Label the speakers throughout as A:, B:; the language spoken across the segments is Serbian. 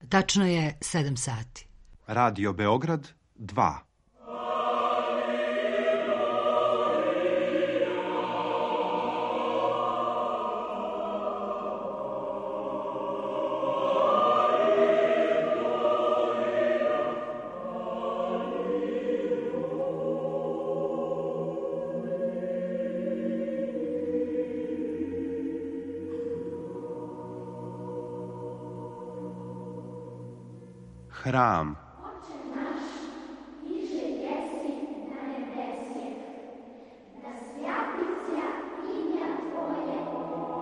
A: Tačno je 7 sati.
B: Radio Beograd 2. Hram.
C: Oče naš, iže jesi na nebesje, da svjati se imja Tvoje,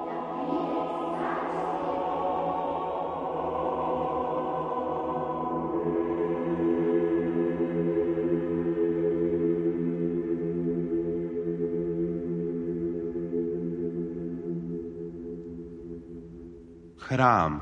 C: da pride carstvo.
B: Hram.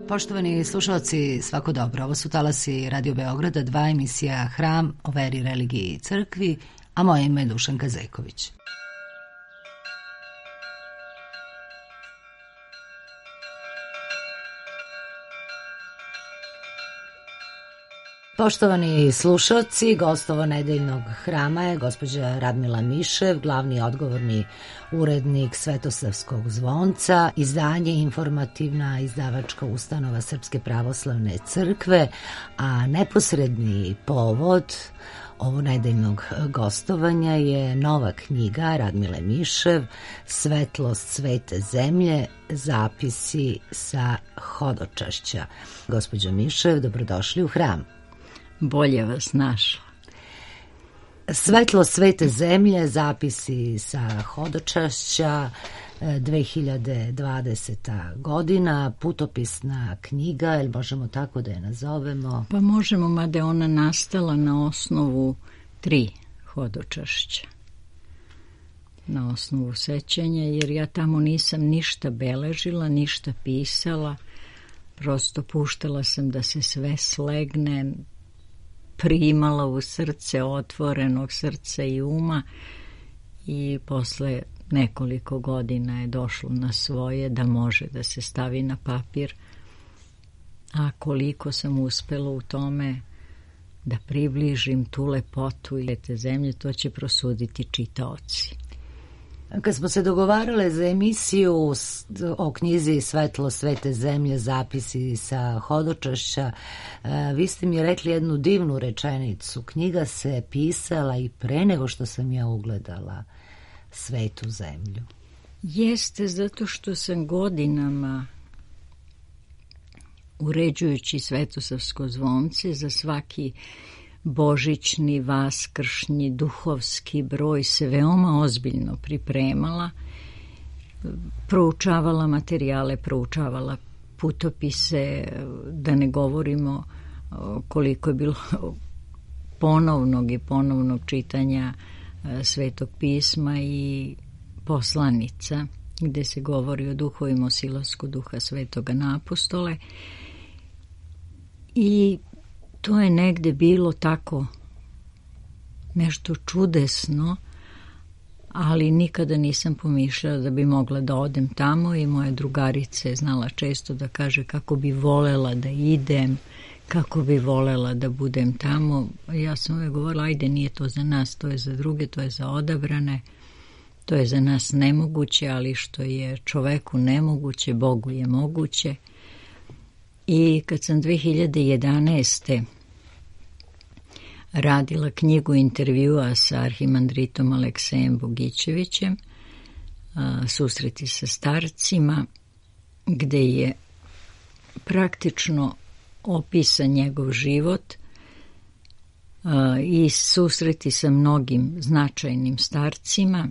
A: Poštovani slušalci, svako dobro. Ovo su talasi Radio Beograda, 2, emisija Hram o veri, religiji i crkvi, a moje ime je Dušanka Zeković. Poštovani slušalci, gost ovo nedeljnog hrama je gospođa Radmila Mišev, glavni odgovorni urednik Svetosavskog zvonca, izdanje informativna izdavačka ustanova Srpske pravoslavne crkve, a neposredni povod ovo nedeljnog gostovanja je nova knjiga Radmile Mišev, Svetlost svete zemlje, zapisi sa hodočašća. Gospođo Mišev, dobrodošli u hram.
D: Bolje vas našla.
A: Svetlost svete zemlje, zapisi sa hodočašća, 2020. godina, putopisna knjiga, ili možemo tako da je nazovemo?
D: Pa možemo, mada je ona nastala na osnovu 3 hodočašća. Na osnovu sećanja, jer ja tamo nisam ništa beležila, ništa pisala, prosto puštala sam da se sve slegne, primala u srce, otvorenog srca i uma, i posle nekoliko godina je došlo na svoje da može da se stavi na papir, a koliko sam uspela u tome da približim tu lepotu i te zemlje, to će prosuditi čitaoci.
A: Kad smo se dogovarale za emisiju o knjizi Svetlo svete zemlje, zapisi sa hodočašća, vi ste mi rekli jednu divnu rečenicu. Knjiga se pisala i pre nego što sam ja ugledala svetu zemlju.
D: Jeste, zato što sam godinama, uređujući Svetosavsko zvonce, za svaki božićni, vaskršnji, duhovski broj se veoma ozbiljno pripremala, proučavala materijale, proučavala putopise, da ne govorimo koliko je bilo ponovnog i ponovnog čitanja Svetog pisma i poslanica, gde se govori o duhovima osilasku duha Svetoga na apostole, i to je negde bilo tako nešto čudesno, ali nikada nisam pomišljala da bi mogla da odem tamo, i moja drugarica je znala često da kaže kako bi volela da idem, kako bi volela da budem tamo. Ja sam uvijek govorila, ajde, nije to za nas, to je za druge, to je za odabrane, to je za nas nemoguće, ali što je čoveku nemoguće, Bogu je moguće. I kad sam 2011. radila knjigu intervjua sa arhimandritom Aleksejem Bogićevićem, Susreti sa starcima, gde je praktično opisan njegov život i susreti sa mnogim značajnim starcima.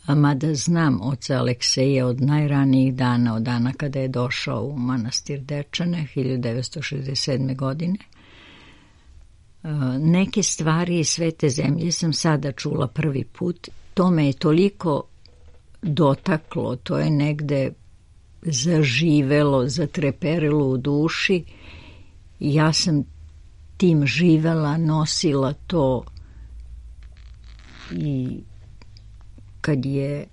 D: Mada znam oca Alekseja od najranijih dana, od dana kada je došao u manastir Dečane 1967. godine. Neke stvari iz Svete zemlje sam sada čula prvi put. To me je toliko dotaklo, to je negde zaživelo, zatreperilo u duši. Ja sam tim živela, nosila to i kad je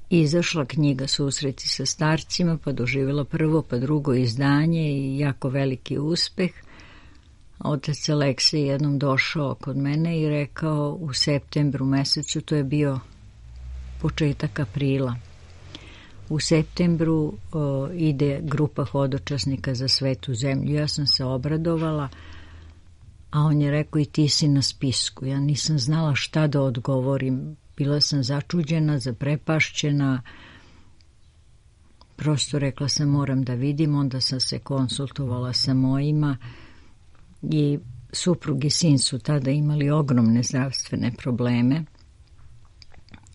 D: izašla knjiga Susreti sa starcima, pa doživjela prvo, pa drugo izdanje i jako veliki uspeh, otac Aleksej jednom došao kod mene i rekao u septembru mesecu, to je bio početak aprila, u septembru ide grupa hodočasnika za Svetu zemlju. Ja sam se obradovala, a on je rekao i ti si na spisku. Ja nisam znala šta da odgovorim. Bila sam začuđena, zaprepašćena. Prosto rekla sam moram da vidim, onda sam se konsultovala sa mojima i suprug i sin su tada imali ogromne zdravstvene probleme.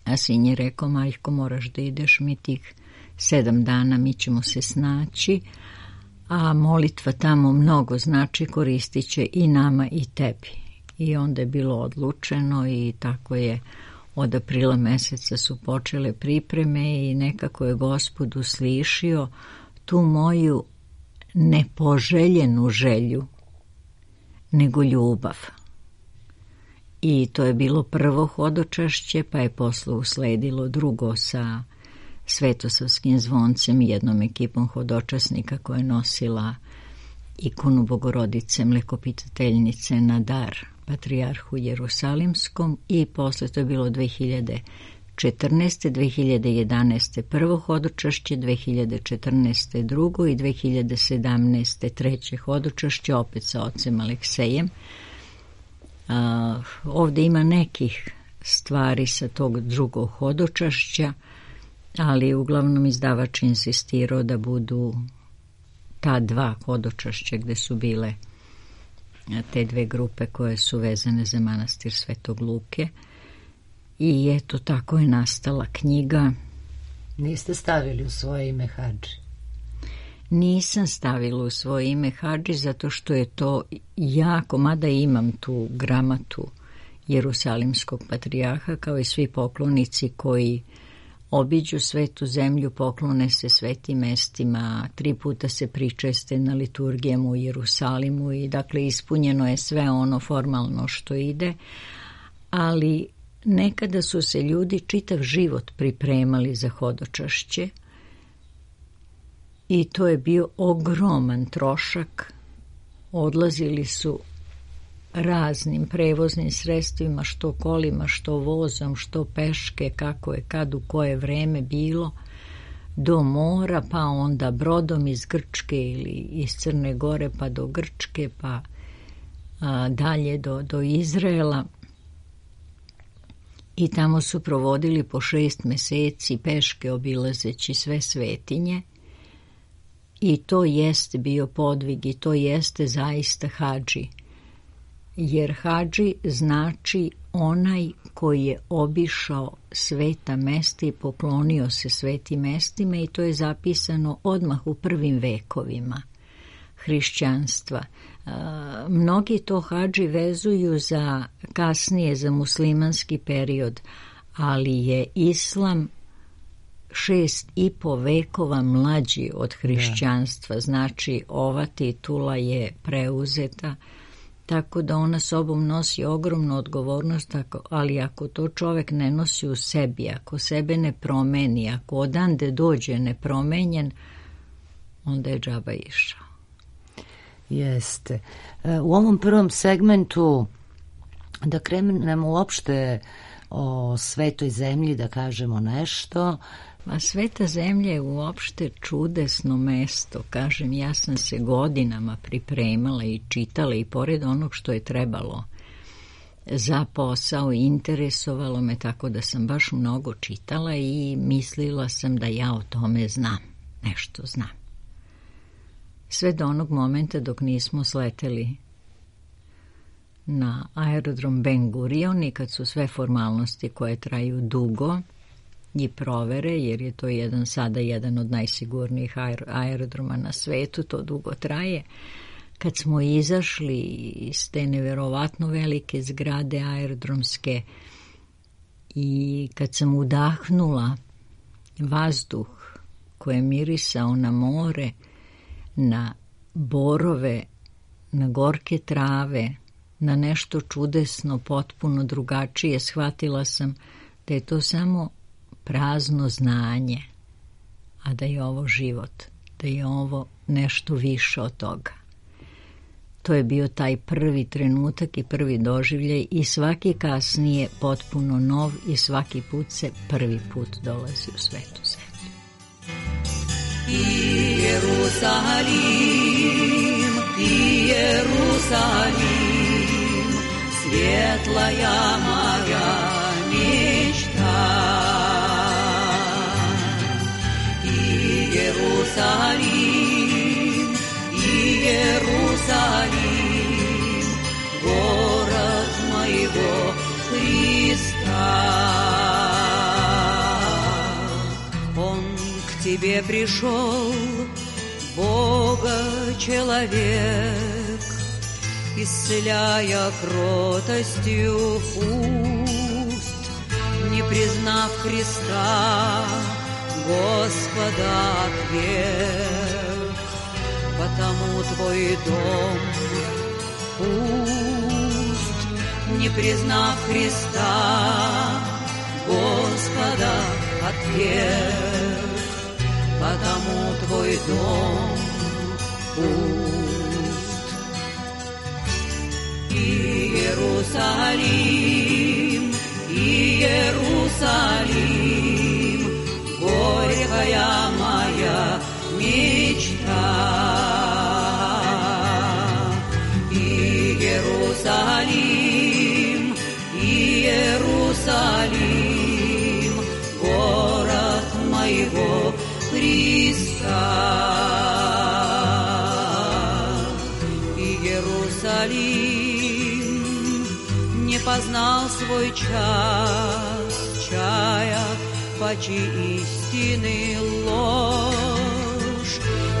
D: A sin je rekao, majko, moraš da ideš, mi tih 7 dana mi ćemo se snaći, a molitva tamo mnogo znači, koristit će i nama i tebi. I onda je bilo odlučeno i tako je od aprila meseca su počele pripreme i nekako je Gospod uslišio tu moju nepoželjenu želju, nego ljubav. I to je bilo prvo hodočašće, pa je posle usledilo drugo sa Svetosavskim zvoncem i jednom ekipom hodočasnika koja je nosila ikonu Bogorodice Mlekopitateljnice na dar Patrijarhu Jerusalimskom i posle to je bilo 2014. 2011. prvo hodočašće, 2014. drugo i 2017. treće hodočašće opet sa ocem Aleksejem. Ovde ima nekih stvari sa tog drugog hodočašća, ali uglavnom izdavač insistirao da budu ta 2 hodočašća gde su bile te 2 grupe koje su vezane za manastir Svetog Luke. I eto, tako je nastala knjiga.
A: Niste stavili u svoje ime Hadži?
D: Nisam stavila u svoje ime Hadži zato što je to jako, mada imam tu gramatu Jerusalimskog patrijarha, kao i svi poklonici koji obiđu Svetu zemlju, poklone se svetim mestima, 3 puta se pričeste na liturgijama u Jerusalimu i dakle ispunjeno je sve ono formalno što ide, ali nekada su se ljudi čitav život pripremali za hodočašće i to je bio ogroman trošak. Odlazili su raznim prevoznim sredstvima, što kolima, što vozom, što peške, kako je kad u koje vreme bilo, do mora, pa onda brodom iz Grčke ili iz Crne Gore pa do Grčke, pa dalje do Izraela. I tamo su provodili po 6 meseci peške obilazeći sve svetinje. I to jeste bio podvig i to jeste zaista hadži. Jer hadži znači onaj koji je obišao sveta mesta i poklonio se svetim mestima i to je zapisano odmah u prvim vekovima hrišćanstva. Mnogi to hadži vezuju za kasnije, za muslimanski period, ali je islam 6,5 vekova mlađi od hrišćanstva, znači ova titula je preuzeta, tako da ona sobom nosi ogromnu odgovornost, ali ako to čovek ne nosi u sebi, ako sebe ne promeni, ako odande dođe nepromenjen, onda je džaba išao.
A: Jeste. U ovom prvom segmentu da krenemo uopšte o Svetoj zemlji da kažemo nešto.
D: A Sveta zemlja je uopšte čudesno mesto. Kažem, ja sam se godinama pripremala i čitala i pored onog što je trebalo za posao, interesovalo me, tako da sam baš mnogo čitala i mislila sam da ja o tome znam, nešto znam. Sve do onog momenta dok nismo sleteli na aerodrom Ben Gurion i kad su sve formalnosti koje traju dugo i provere, jer je to sada jedan od najsigurnijih aerodroma na svetu, to dugo traje. Kad smo izašli iz te neverovatno velike zgrade aerodromske i kad sam udahnula vazduh koji je mirisao na more, na borove, na gorke trave, na nešto čudesno, potpuno drugačije, shvatila sam da je to samo prazno znanje, a da je ovo život, da je ovo nešto više od toga. To je bio taj prvi trenutak i prvi doživljaj i svaki kasnije potpuno nov i svaki put se prvi put dolazi u Svetu zemlju.
E: Иерусалим, светлая моя мечта. Иерусалим, Иерусалим, город моего Христа. Он к тебе пришел, Бога-человек, исцеляя кротостью уст, не признав Христа, Господа отверг. Потому твой дом пуст, не признав Христа, Господа отверг. Потому твой дом пуст. Иерусалим, Иерусалим, горькая моя мечта. Иерусалим, Иерусалим, город моего Христа. Иерусалим не познал свой час, чая пачи истины ложь,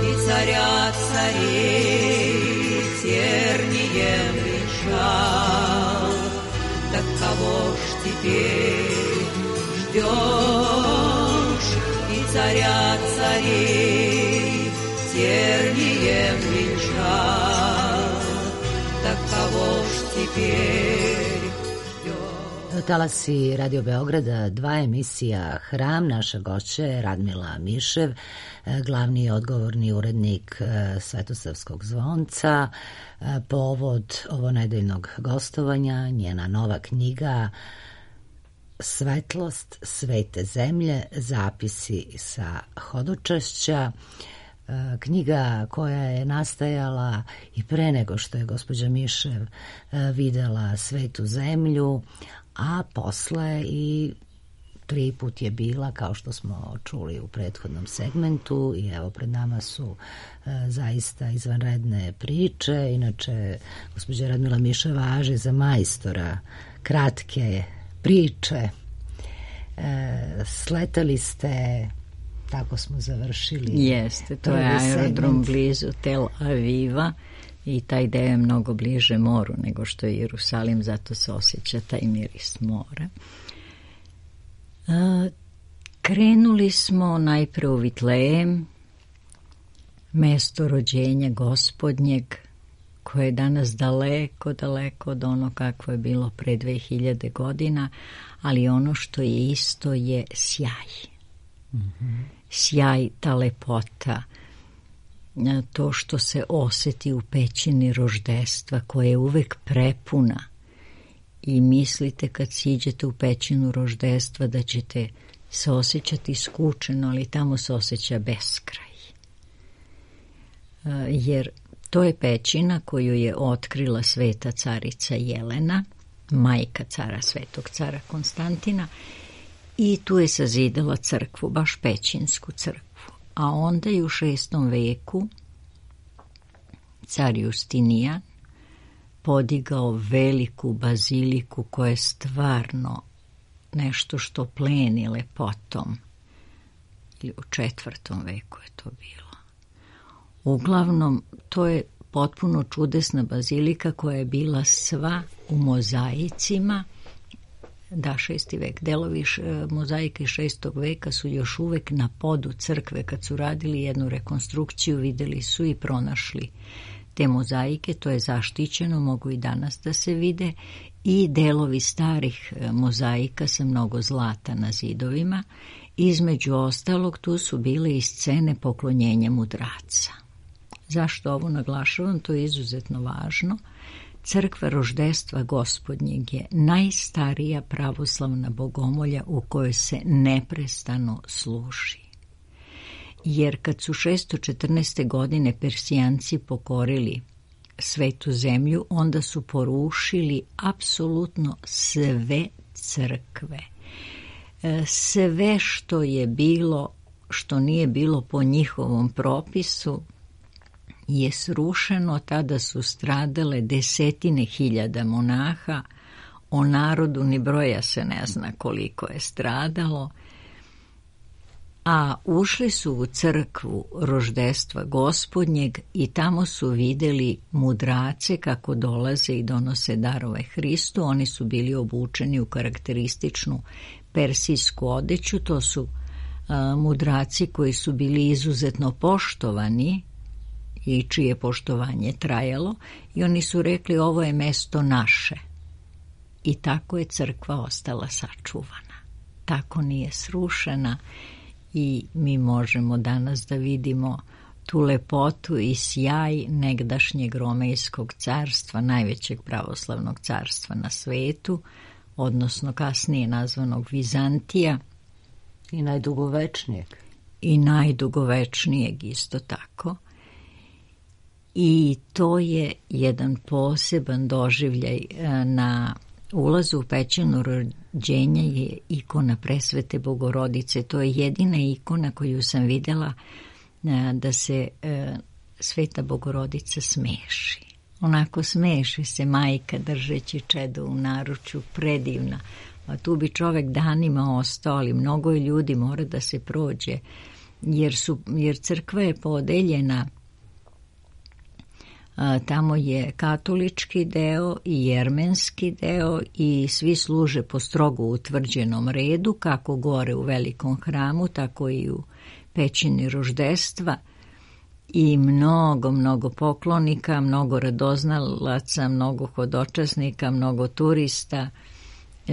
E: и царя царей тернием венчал. Так кого ж теперь ждешь? И царя царей тернием венчал. Так кого ж теперь ждешь?
A: Talasi Radio Beograda, 2 emisija Hram, naša gošća je Radmila Mišev, glavni i odgovorni urednik Svetosavskog zvonca. Povod ovo nedeljnog gostovanja, njena nova knjiga Svetlost Svete zemlje, zapisi sa hodočašća. Knjiga koja je nastajala i pre nego što je gospođa Mišev videla Svetu zemlju, a posle i 3 put je bila, kao što smo čuli u prethodnom segmentu, i evo pred nama su zaista izvanredne priče. Inače, gospođa Radmila Mišev važi za majstora kratke priče. Sletali ste, tako smo završili.
D: Jeste, to je aerodrom blizu Tel Aviva i taj deo je mnogo bliže moru nego što je Jerusalim, zato se osjeća taj miris mora. Krenuli smo najpre u Vitlejem, mesto rođenja Gospodnjeg, koje je danas daleko, daleko od ono kakvo je bilo pre 2000 godina, ali ono što je isto je sjaj. Mm-hmm. Sjaj, ta lepota, to što se oseti u pećini roždestva, koja je uvek prepuna i mislite kad siđete u pećinu roždestva da ćete se osjećati skučeno, ali tamo se osjeća beskraj. Jer to je pećina koju je otkrila sveta carica Jelena, majka cara, svetog cara Konstantina, i tu je sazidala crkvu, baš pećinsku crkvu. A onda je u 6. veku car Justinijan podigao veliku baziliku koja je stvarno nešto što pleni lepotom. Ili u 4. veku je to bilo. Uglavnom, to je potpuno čudesna bazilika koja je bila sva u mozaicima. Da, 6. vek. Delovi mozaika iz 6. veka su još uvek na podu crkve. Kad su radili jednu rekonstrukciju, videli su i pronašli te mozaike. To je zaštićeno, mogu i danas da se vide. I delovi starih mozaika sa mnogo zlata na zidovima. Između ostalog, tu su bile i scene poklonjenja mudraca. Zašto ovo naglašavam? To je izuzetno važno. Crkva roždestva Gospodnjeg je najstarija pravoslavna bogomolja u kojoj se neprestano služi. Jer kad su 614. godine Persijanci pokorili svetu zemlju, onda su porušili apsolutno sve crkve. Sve što je bilo, što nije bilo po njihovom propisu, je srušeno. Tada su stradale 10.000 monaha, o narodu ni broja se ne zna koliko je stradalo, a ušli su u crkvu roždestva Gospodnjeg i tamo su videli mudrace kako dolaze i donose darove Hristu. Oni su bili obučeni u karakterističnu persijsku odeću. To su mudraci koji su bili izuzetno poštovani i čije poštovanje trajalo, i oni su rekli ovo je mesto naše. I tako je crkva ostala sačuvana. Tako nije srušena i mi možemo danas da vidimo tu lepotu i sjaj negdašnjeg Romejskog carstva, najvećeg pravoslavnog carstva na svetu, odnosno kasnije nazvanog Vizantija.
A: I najdugovečnijeg.
D: I najdugovečnijeg isto tako. I to je jedan poseban doživljaj. Na ulazu u pećinu rođenja je ikona Presvete Bogorodice. To je jedina ikona koju sam videla da se Sveta Bogorodica smeši. Onako smeši se majka držeći čedo u naručju, predivna. A tu bi čovek danima ostao, ali mnogo ljudi mora da se prođe, jer crkva je podeljena. Tamo je katolički deo i jermenski deo i svi služe po strogo utvrđenom redu, kako gore u velikom hramu, tako i u pećini roždestva. I mnogo poklonika, mnogo radoznalaca, mnogo hodočasnika, mnogo turista.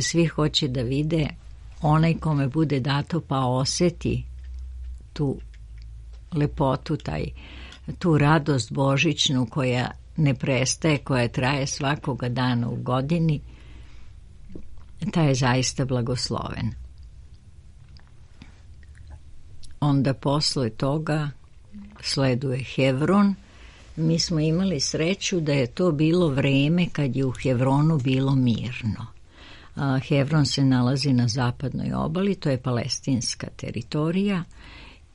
D: Svi hoće da vide, onaj kome bude dato pa oseti tu lepotu, tu radost božićnu koja ne prestaje, koja traje svakoga dana u godini, taj je zaista blagosloven. Onda posle toga sleduje Hevron. Mi smo imali sreću da je to bilo vreme kad je u Hevronu bilo mirno. Hevron se nalazi na zapadnoj obali, to je palestinska teritorija,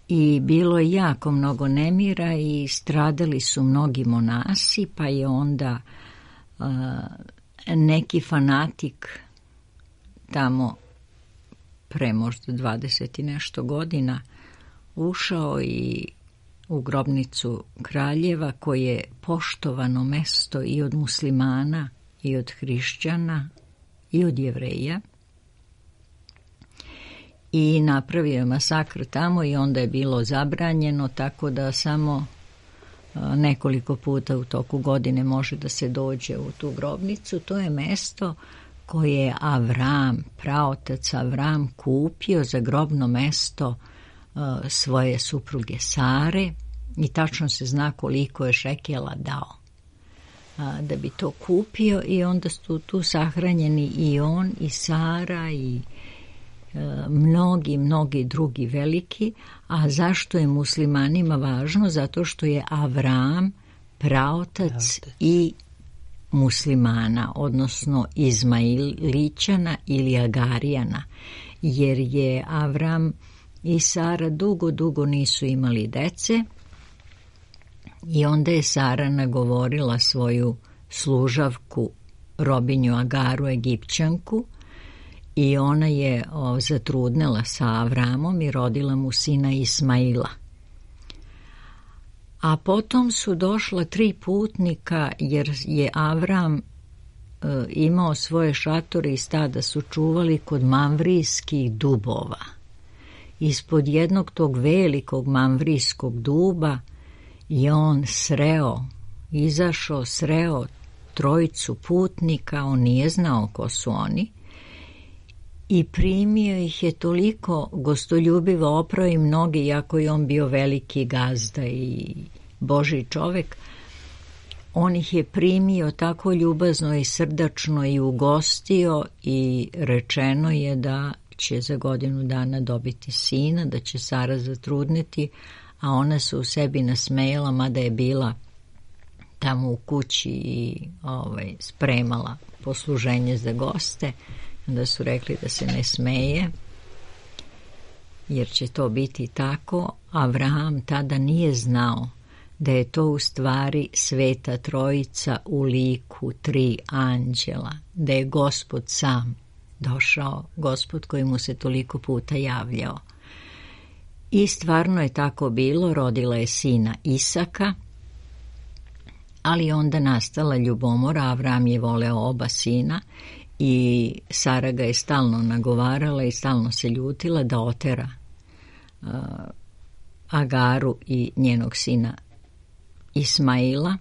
D: i bilo je jako mnogo nemira i stradali su mnogi monasi, pa je onda neki fanatik tamo pre možda 20 i nešto godina ušao i u grobnicu kraljeva, koje je poštovano mesto i od muslimana i od hrišćana i od Jevreja, i napravio je masakr tamo i onda je bilo zabranjeno, tako da samo nekoliko puta u toku godine može da se dođe u tu grobnicu. To je mesto koje je Avram, praotac Avram, kupio za grobno mesto svoje supruge Sare, i tačno se zna koliko je šekela dao da bi to kupio i onda su tu sahranjeni i on i Sara i mnogi drugi veliki. A zašto je muslimanima važno? Zato što je Avram praotac i muslimana, odnosno Izmailićana ili Agarijana, jer je Avram i Sara dugo nisu imali dece i onda je Sara nagovorila svoju služavku, robinju Agaru, Egipćanku, i ona je zatrudnela sa Avramom i rodila mu sina Ismaila. A potom su došla 3 putnika, jer je Avram imao svoje šatore i stada su čuvali kod mamvrijskih dubova. Ispod jednog tog velikog mamvrijskog duba je on izašao, sreo 3 putnika, on nije znao ko su oni, i primio ih je toliko gostoljubivo, oprao im noge, iako je on bio veliki gazda i Božji čovek. On ih je primio tako ljubazno i srdačno i ugostio i rečeno je da će za 1 godinu dana dobiti sina, da će Sara zatrudniti, a ona se u sebi nasmejala, mada je bila tamo u kući i spremala posluženje za goste. Onda su rekli da se ne smeje, jer će to biti tako. Avraham tada nije znao da je to u stvari Sveta Trojica u liku 3 anđela, da je Gospod sam došao, Gospod koji mu se toliko puta javljao. I stvarno je tako bilo, rodila je sina Isaka, ali onda nastala ljubomora. Avraham je voleo oba sina i Sara ga je stalno nagovarala i stalno se ljutila da otera Agaru i njenog sina Ismaila,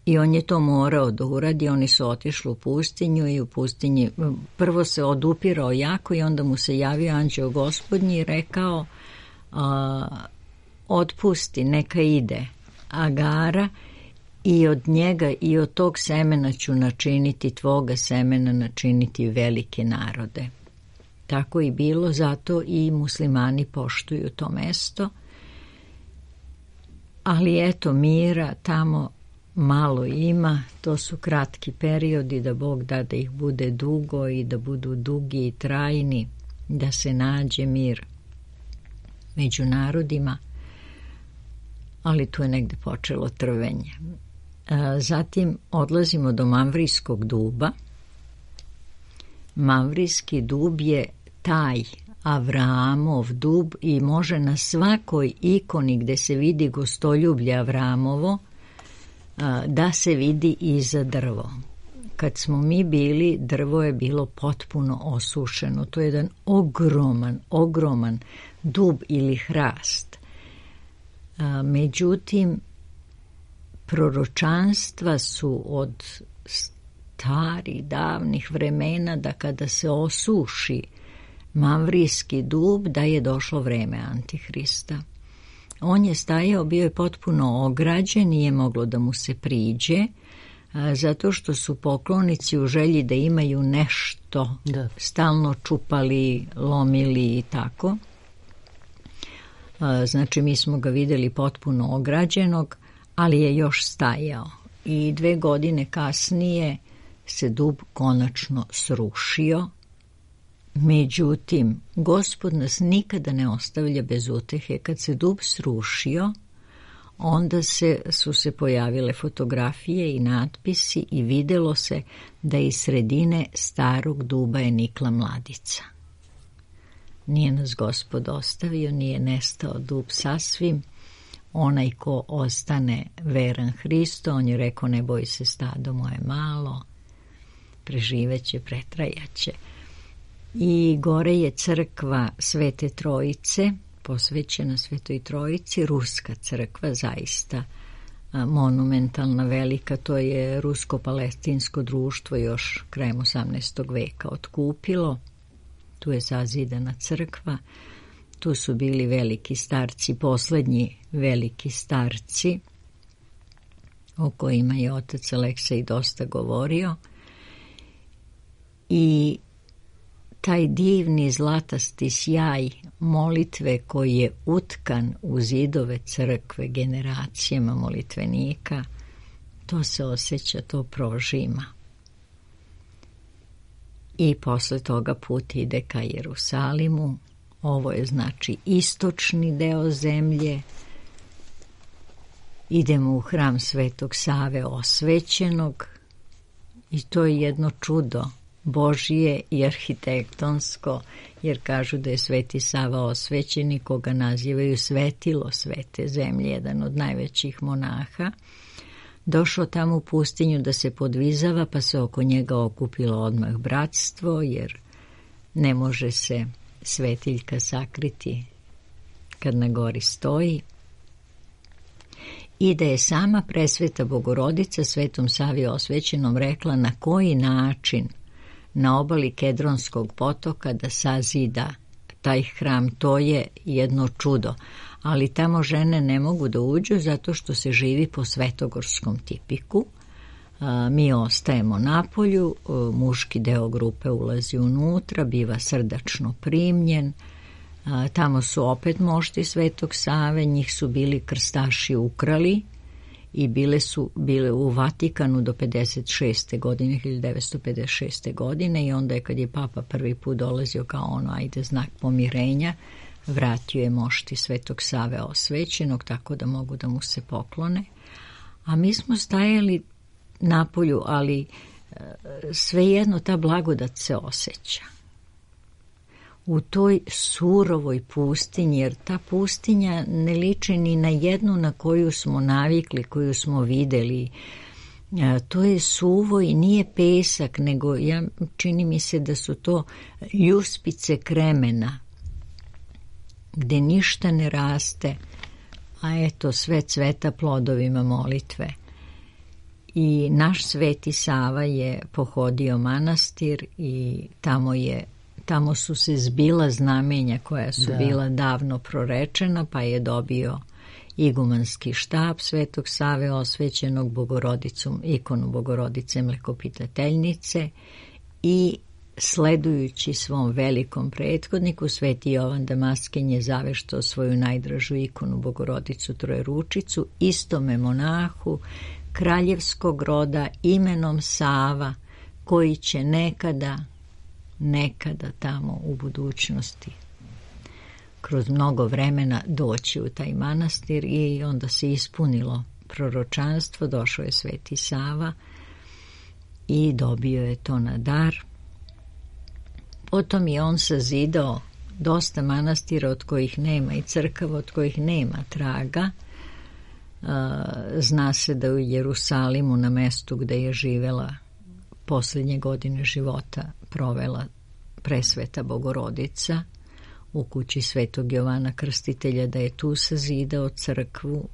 D: i on je to morao da uradi. Oni su otišli u pustinju i u pustinji prvo se odupirao jako i onda mu se javio anđeo Gospodnji i rekao otpusti, neka ide Agara, i od njega i od tog semena ću načiniti, tvoga semena načiniti velike narode. Tako i bilo, zato i muslimani poštuju to mesto. Ali eto, mira tamo malo ima, to su kratki periodi, da Bog da ih bude dugo i da budu dugi i trajni, da se nađe mir među narodima, ali tu je negde počelo trvenje. Zatim odlazimo do Mamvrijskog duba. Mamvrijski dub je taj Avraamov dub i može na svakoj ikoni gde se vidi gostoljublje Avramovo da se vidi iza drvo. Kad smo mi bili, drvo je bilo potpuno osušeno. To je jedan ogroman dub ili hrast. Međutim, proročanstva su od starih, davnih vremena da kada se osuši Mamvrijski dub, da je došlo vreme Antihrista. On je stajao, bio je potpuno ograđen, nije moglo da mu se priđe, zato što su poklonici u želji da imaju nešto stalno čupali, lomili i tako. Znači, mi smo ga vidjeli potpuno ograđenog, ali je još stajao. I 2 godine kasnije se dub konačno srušio. Međutim, Gospod nas nikada ne ostavlja bez utehe. Kad se dub srušio, onda su se pojavile fotografije i natpisi i videlo se da iz sredine starog duba je nikla mladica. Nije nas Gospod ostavio, nije nestao dub sasvim. Onaj ko ostane veran Hristu, on je rekao, ne boj se stado moje malo, preživeće, pretrajaće. I gore je crkva Svete Trojice, posvećena Svetoj Trojici, ruska crkva, zaista monumentalna, velika. To je rusko-palestinsko društvo još krajem 18. veka otkupilo. Tu je zazidana crkva. Tu su bili veliki starci, poslednji veliki starci o kojima je otac Aleksej dosta govorio, i taj divni zlatasti sjaj molitve koji je utkan u zidove crkve generacijama molitvenika, to se osjeća, to prožima. I posle toga put ide ka Jerusalimu. Ovo je znači istočni deo zemlje. Idemo u hram Svetog Save osvećenog i to je jedno čudo Božije i arhitektonsko, jer kažu da je Sveti Sava osvećeni, koga nazivaju svetilo svete zemlje, jedan od najvećih monaha. Došao tamo u pustinju da se podvizava, pa se oko njega okupilo odmah bratstvo, jer ne može se svetiljka sakriti kad na gori stoji. I da je sama presveta Bogorodica Svetom Savi osvećenom rekla na koji način na obali Kedronskog potoka da sazida taj hram. To je jedno čudo, ali tamo žene ne mogu da uđu zato što se živi po svetogorskom tipiku. Mi ostajemo napolju, muški deo grupe ulazi unutra, biva srdačno primljen. Tamo su opet mošti Svetog Save, njih su bili krstaši ukrali i bile u Vatikanu do 56. godine, 1956. godine, i onda je kad je Papa prvi put dolazio kao znak pomirenja, vratio je mošti Svetog Save osvećenog, tako da mogu da mu se poklone. A mi smo stajali napolju, ali svejedno ta blagodat se osjeća. U toj surovoj pustinji, jer ta pustinja ne liči ni na jednu na koju smo navikli, koju smo videli. To je suvo i nije pesak, nego čini mi se da su to ljuspice kremena, gde ništa ne raste, a eto sve cveta plodovima molitve. I naš Sveti Sava je pohodio manastir i tamo su se zbila znamenja koja su bila davno prorečena, pa je dobio igumanski štab Svetog Save osvećenog, Bogorodicom, ikonu Bogorodice Mlekopitateljnice, i sledujući svom velikom prethodniku, Sveti Jovan Damaskin je zaveštao svoju najdražu ikonu Bogorodicu Trojeručicu istome monahu kraljevskog roda imenom Sava, koji će nekada tamo u budućnosti kroz mnogo vremena doći u taj manastir. I onda se ispunilo proročanstvo, došao je Sveti Sava i dobio je to na dar. Potom je on sazidao dosta manastira od kojih nema, i crkava od kojih nema traga. Zna se da u Jerusalimu, na mestu gde je živela posljednje godine života, provela presveta Bogorodica, u kući Svetog Jovana Krstitelja, da je tu sazidao crkvu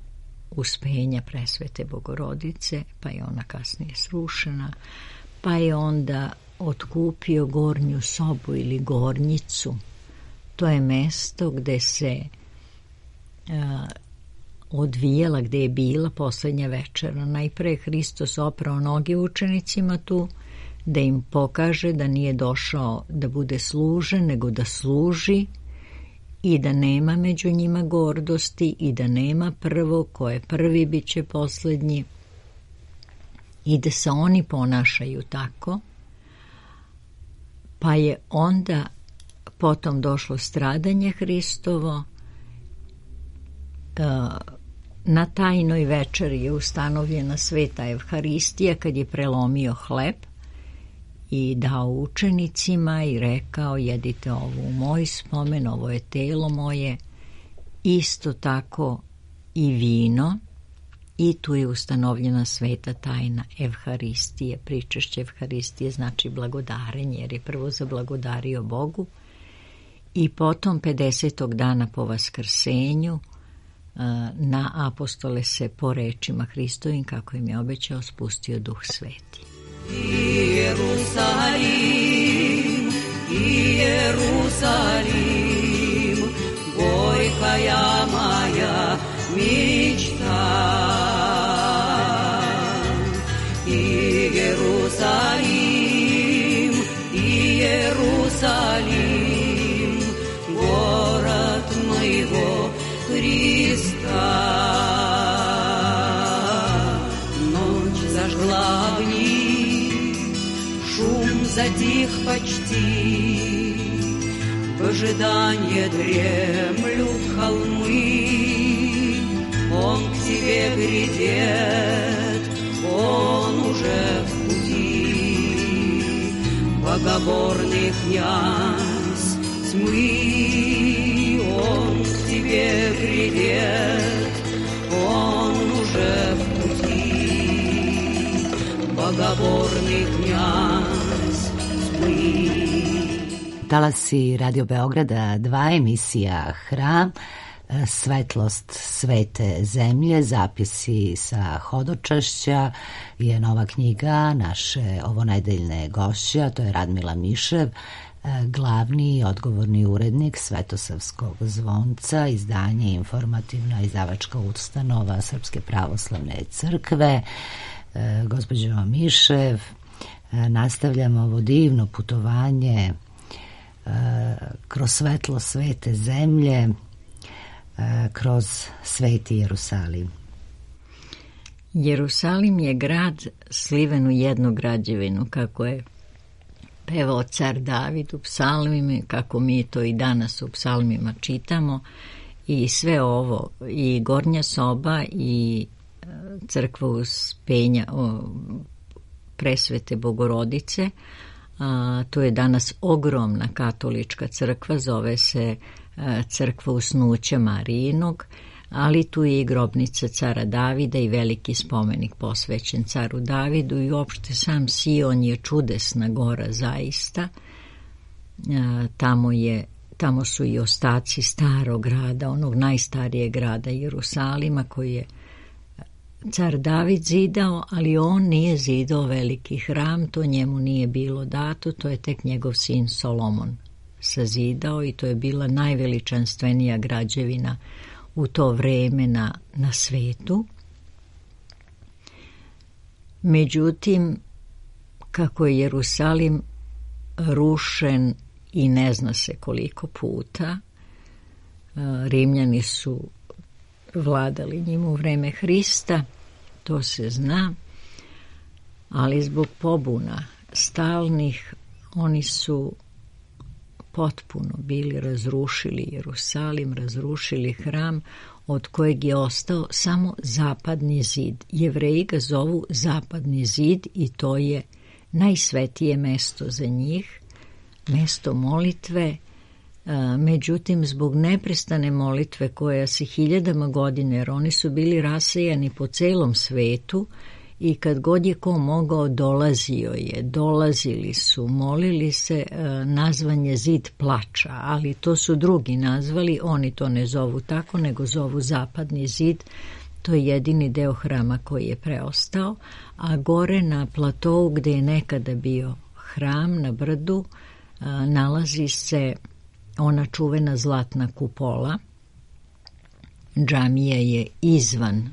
D: Uspenja presvete Bogorodice, pa je ona kasnije srušena, pa je onda otkupio gornju sobu ili gornjicu. To je mesto gde se odvijala, gde je bila posljednja večera. Najpre Hristos oprao noge učenicima tu, da im pokaže da nije došao da bude služen, nego da služi, i da nema među njima gordosti, i da nema prvo, ko je prvi bit će posljednji, i da se oni ponašaju tako. Pa je onda potom došlo stradanje Hristovo. Na tajnoj večeri je ustanovljena sveta Evharistija, kad je prelomio hleb i dao učenicima i rekao: jedite ovo u moj spomen, ovo je telo moje. Isto tako i vino, i tu je ustanovljena sveta tajna Evharistije. Pričešće Evharistije znači blagodarenje, jer je prvo zablagodario Bogu, i potom 50. dana po Vaskrsenju na apostole se po rečima Hristovim, kako im je obećao, spustio Duh Sveti.
E: Иерусалим, Иерусалим, горькая моя мечта. Иерусалим, город моего Христа. Ночь зажгла огни, шум затих почти, в ожидании дремлют холмы. Он к тебе грядет, он уже в пути, богоборный князь тьмы. Он к тебе грядет, он уже в пути, bogorni kňaz tmý.
A: Talasi Radio Beograda 2, emisija Hram, Svetlost svete zemlje, zapisi sa hodočašća je nova knjiga naše ovonedeljne gošće, to je Radmila Mišev, glavni i odgovorni urednik Svetosavskog zvonca, izdanje informativna izdavačka ustanova Srpske pravoslavne crkve. Gospođo Mišev, nastavljamo ovo divno putovanje kroz svetlo svete zemlje, kroz sveti Jerusalim.
D: Jerusalim je grad sliven u jednu građevinu, kako je pevao car David u psalmima, kako mi to i danas u psalmima čitamo. I sve ovo, i gornja soba i crkva Uspenja Presvete Bogorodice, to je danas ogromna katolička crkva, zove se crkva Usnuća Marijinog, ali tu je i grobnica cara Davida i veliki spomenik posvećen caru Davidu i uopšte sam Sion je čudesna gora zaista. Tamo su i ostaci starog grada, onog najstarijeg grada Jerusalima koji je car David zidao, ali on nije zidao veliki hram, to njemu nije bilo dato, to je tek njegov sin Solomon sazidao i to je bila najveličanstvenija građevina u to vreme na svetu. Međutim, kako je Jerusalim rušen i ne zna se koliko puta, Rimljani su vladali njim u vreme Hrista, to se zna, ali zbog pobuna stalnih oni su potpuno bili razrušili Jerusalim, razrušili hram od kojeg je ostao samo zapadni zid. Jevreji ga zovu zapadni zid i to je najsvetije mesto za njih, mesto molitve. Međutim, zbog neprestane molitve koja se hiljadama godina, jer oni su bili rasejani po celom svetu i kad god je ko mogao dolazili su, molili se, nazvan je zid plača, ali to su drugi nazvali, oni to ne zovu tako, nego zovu zapadni zid. To je jedini deo hrama koji je preostao, a gore na platovu gde je nekada bio hram na brdu nalazi se ona čuvena zlatna kupola. Džamija je izvan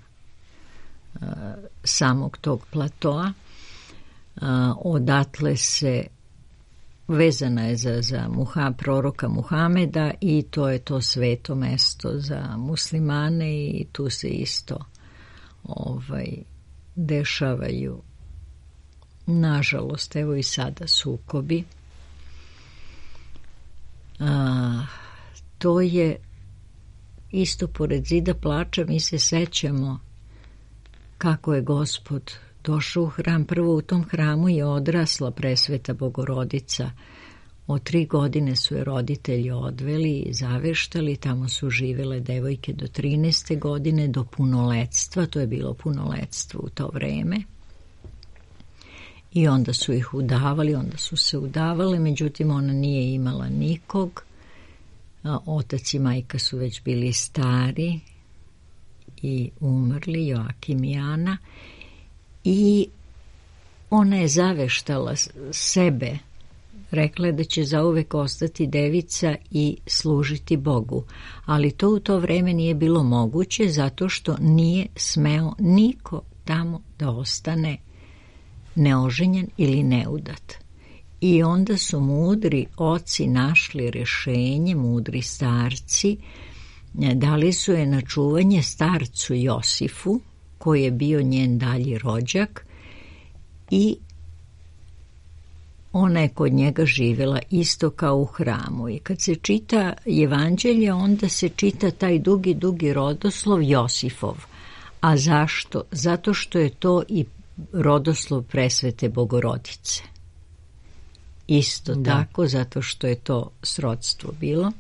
D: samog tog platoa. Odatle se vezana je za proroka Muhameda i to je to sveto mesto za muslimane i tu se isto dešavaju, nažalost, evo i sada sukobi. To je isto pored zida plača. Mi se sećamo kako je Gospod došao u hram. Prvo u tom hramu je odrasla Presveta Bogorodica. Od 3 godine su je roditelji odveli i zaveštali. Tamo su živele devojke do 13. godine, do punoletstva. To je bilo punoletstvo u to vreme. I onda su ih udavali, onda su se udavale, međutim ona nije imala nikog. Otac i majka su već bili stari i umrli, Joakim i Ana, i ona je zaveštala sebe, rekla je da će zauvek ostati devica i služiti Bogu, ali to u to vreme nije bilo moguće zato što nije smeo niko tamo da ostane neoženjen ili neudat. I onda su mudri oci našli rešenje, mudri starci, dali su je na čuvanje starcu Josifu, koji je bio njen dalji rođak, i ona je kod njega živjela isto kao u hramu. I kad se čita Evanđelje, onda se čita taj dugi rodoslov Josifov. A zašto? Zato što je to i rodoslov presvete Bogorodice. Isto tako, zato što je to srodstvo bilo.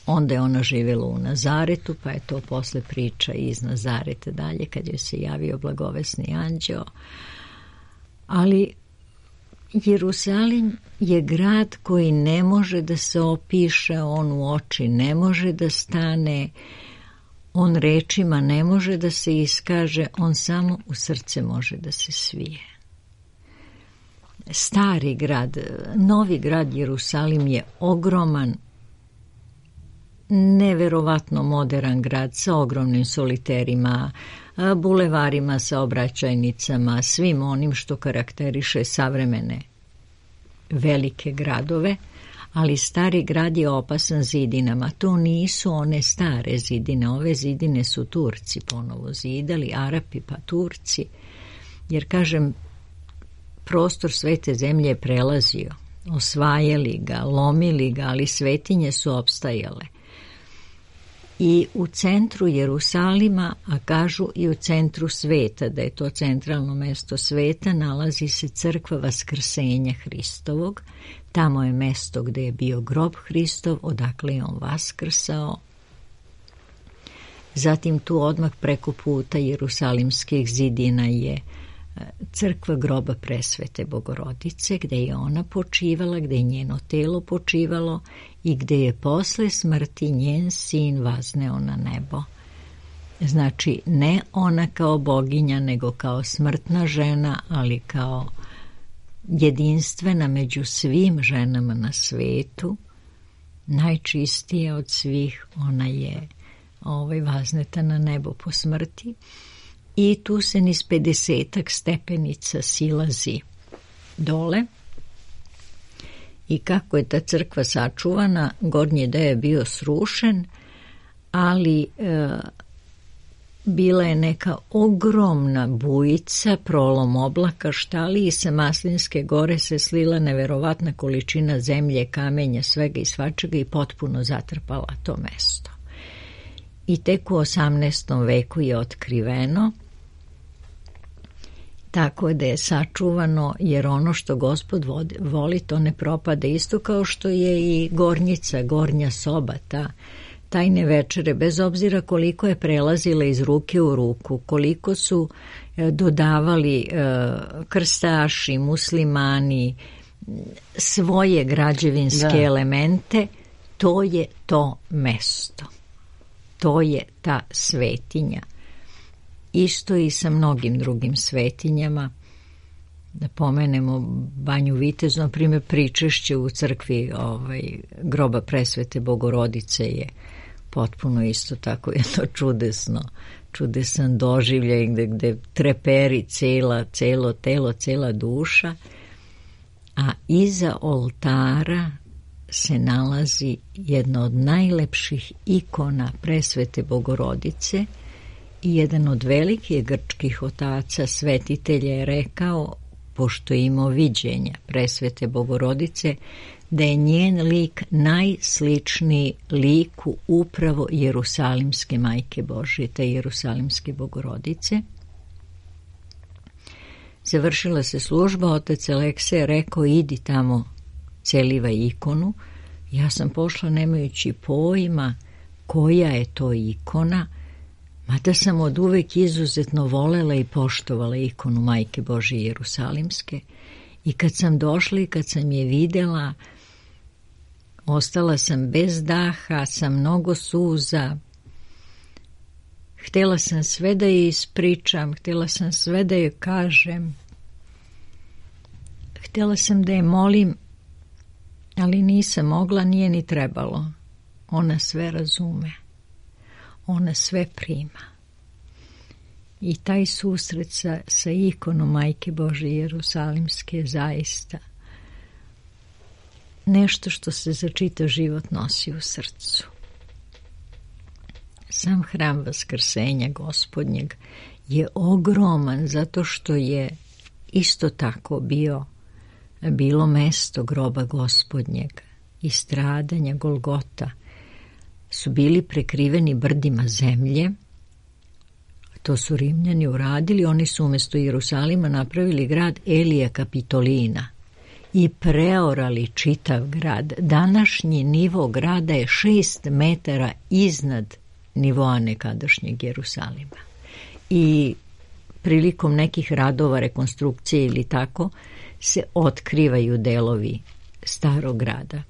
D: Onda je ona živjela u Nazaretu, pa je to posle priča iz Nazareta dalje, kad joj se javio blagovesni anđeo. Ali Jerusalim je grad koji ne može da se opiše, on u oči ne može da stane, on rečima ne može da se iskaže, on samo u srce može da se svije. Stari grad, novi grad Jerusalim je ogroman, neverovatno modern grad sa ogromnim soliterima, bulevarima, saobraćajnicama, svim onim što karakteriše savremene velike gradove, ali stari grad je opasan zidinama. To nisu one stare zidine, ove zidine su Turci ponovo zidali, Arapi pa Turci, jer kažem, prostor svete zemlje je prelazio, osvajali ga, lomili ga, ali svetinje su opstajale. I u centru Jerusalima, a kažu i u centru sveta, da je to centralno mesto sveta, nalazi se crkva Vaskrsenja Hristovog. Tamo je mesto gde je bio grob Hristov, odakle je on vaskrsao. Zatim tu odmah preko puta Jerusalimskih zidina je crkva groba presvete Bogorodice, gde je ona počivala, gde je njeno telo počivalo i gde je posle smrti njen sin vazneo na nebo. Znači, ne ona kao boginja, nego kao smrtna žena, ali kao jedinstvena među svim ženama na svetu, najčistija od svih, ona je vazneta na nebo po smrti. I tu se niz 50 stepenica silazi dole. I kako je ta crkva sačuvana, gornji deo je bio srušen, ali bila je neka ogromna bujica, prolom oblaka, štali, i sa Maslinske gore se slila neverovatna količina zemlje, kamenja, svega i svačega i potpuno zatrpala to mesto. I tek u 18. veku je otkriveno, tako da je sačuvano, jer ono što Gospod voli, to ne propade. Isto kao što je i gornjica, gornja soba, ta tajne večere, bez obzira koliko je prelazila iz ruke u ruku, koliko su dodavali krstaši, muslimani, svoje građevinske elemente, to je to mesto. To je ta svetinja. Isto i sa mnogim drugim svetinjama. Da pomenemo Banju Vitezu, na primjer, pričešće u crkvi groba presvete Bogorodice je potpuno isto tako jedno čudesan doživljaj gde treperi celo telo, cela duša, a iza oltara se nalazi jedna od najlepših ikona presvete Bogorodice i jedan od velikih grčkih otaca svetitelja je rekao, pošto je imao viđenja presvete Bogorodice, da je njen lik najsličniji liku upravo Jerusalimske Majke Božje, te Jerusalimske Bogorodice. Završila se služba, otac Aleksej je rekao, idi tamo, celivaj ikonu. Ja sam pošla nemajući pojma koja je to ikona, mada sam od uvek izuzetno volela i poštovala ikonu Majke Božje Jerusalimske. I kad sam došla i kad sam je videla, ostala sam bez daha, sa mnogo suza. Htjela sam sve da je ispričam, htjela sam sve da je kažem. Htjela sam da je molim, ali nisam mogla, nije ni trebalo. Ona sve razume. Ona sve prima. I taj susret sa ikonom Majke Božje Jerusalimske je zaista nešto što se za čitav život nosi u srcu. Sam hram Vaskrsenja Gospodnjeg je ogroman zato što je isto tako bilo mesto groba Gospodnjeg i stradanja Golgota su bili prekriveni brdima zemlje. To su Rimljani uradili, oni su umjesto Jerusalima napravili grad Elija Kapitolina i preorali čitav grad. Današnji nivo grada je 6 metara iznad nivoa nekadašnjeg Jerusalima. I prilikom nekih radova, rekonstrukcije ili tako, se otkrivaju delovi starog grada.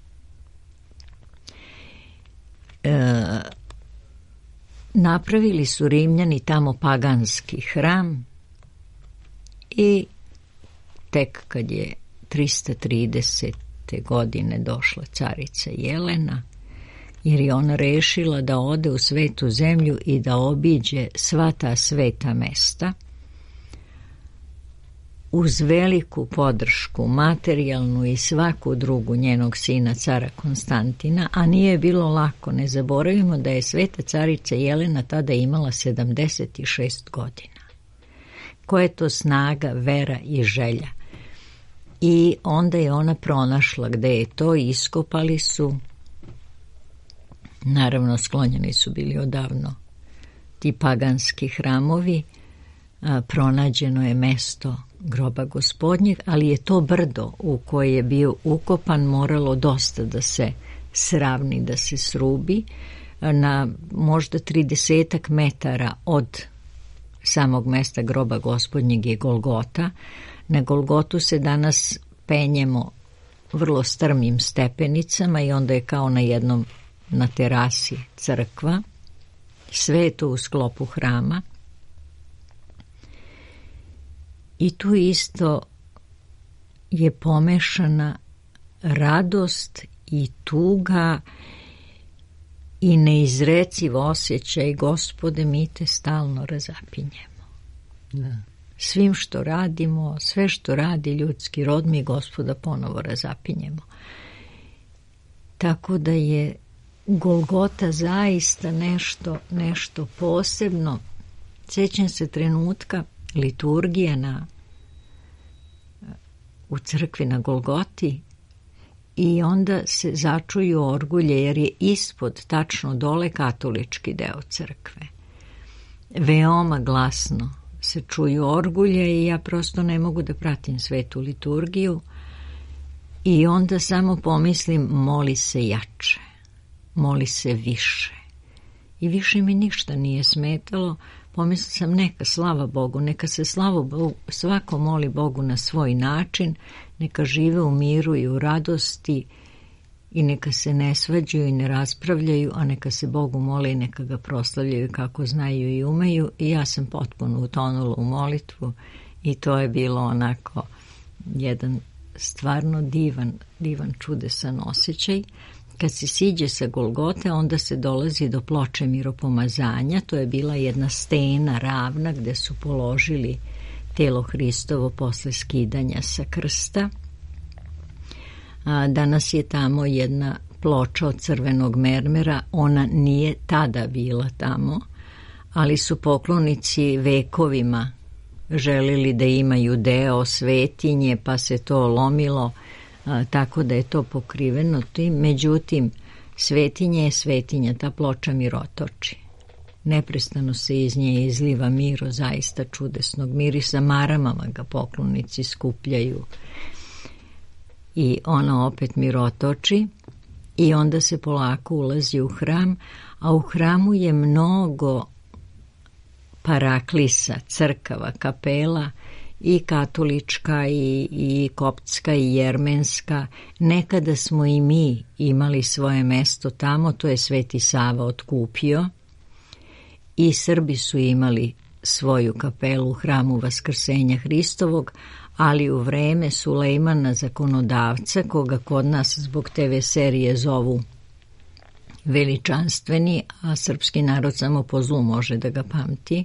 D: Napravili su Rimljani tamo paganski hram i tek kad je 330. godine došla carica Jelena, jer je ona rešila da ode u svetu zemlju i da obiđe sva ta sveta mesta, uz veliku podršku, materijalnu i svaku drugu njenog sina cara Konstantina, a nije bilo lako. Ne zaboravimo da je sveta carica Jelena tada imala 76 godina. Koja je to snaga, vera i želja. I onda je ona pronašla gde je to, iskopali su, naravno sklonjeni su bili odavno ti paganski hramovi, pronađeno je mesto groba Gospodnjeg, ali je to brdo u koje je bio ukopan moralo dosta da se sravni, da se srubi. Na možda 30 metara od samog mesta groba Gospodnjeg je Golgota. Na Golgotu se danas penjemo vrlo strmim stepenicama i onda je kao na terasi crkva. Sve je to u sklopu hrama. I tu isto je pomešana radost i tuga i neizreciv osjećaj: Gospode, mi te stalno razapinjemo. Da. Svim što radimo, sve što radi ljudski rod, mi Gospoda ponovo razapinjemo. Tako da je Golgota zaista nešto posebno. Sjećam se trenutka liturgije u crkvi na Golgoti i onda se začuju orgulje, jer je ispod, tačno dole, katolički deo crkve. Veoma glasno se čuju orgulje i ja prosto ne mogu da pratim svetu liturgiju i onda samo pomislim: moli se jače, moli se više. I više mi ništa nije smetalo. Pomislila sam: neka, slava Bogu, neka se svako moli Bogu na svoj način, neka žive u miru i u radosti i neka se ne svađaju i ne raspravljaju, a neka se Bogu mole i neka ga proslavljaju kako znaju i umeju. I ja sam potpuno utonula u molitvu i to je bilo onako jedan stvarno divan, čudesan osjećaj. Kad se siđe sa Golgote, onda se dolazi do ploče miropomazanja. To je bila jedna stena ravna gde su položili telo Hristovo posle skidanja sa krsta. Danas je tamo jedna ploča od crvenog mermera. Ona nije tada bila tamo, ali su poklonici vekovima želeli da imaju deo svetinje, pa se to lomilo, tako da je to pokriveno tim. Međutim, svetinja je svetinja, ta ploča mirotoči. Neprestano se iz nje izliva miro, zaista čudesnog mirisa. Maramama ga poklonici skupljaju i ona opet mirotoči i onda se polako ulazi u hram, a u hramu je mnogo paraklisa, crkava, kapela, i katolička i koptska i jermenska. Nekada smo i mi imali svoje mesto tamo, to je Sveti Sava otkupio, i Srbi su imali svoju kapelu u hramu Vaskrsenja Hristovog, ali u vreme Sulejmana zakonodavca, koga kod nas zbog TV serije zovu veličanstveni, a srpski narod samo po zlu može da ga pamti,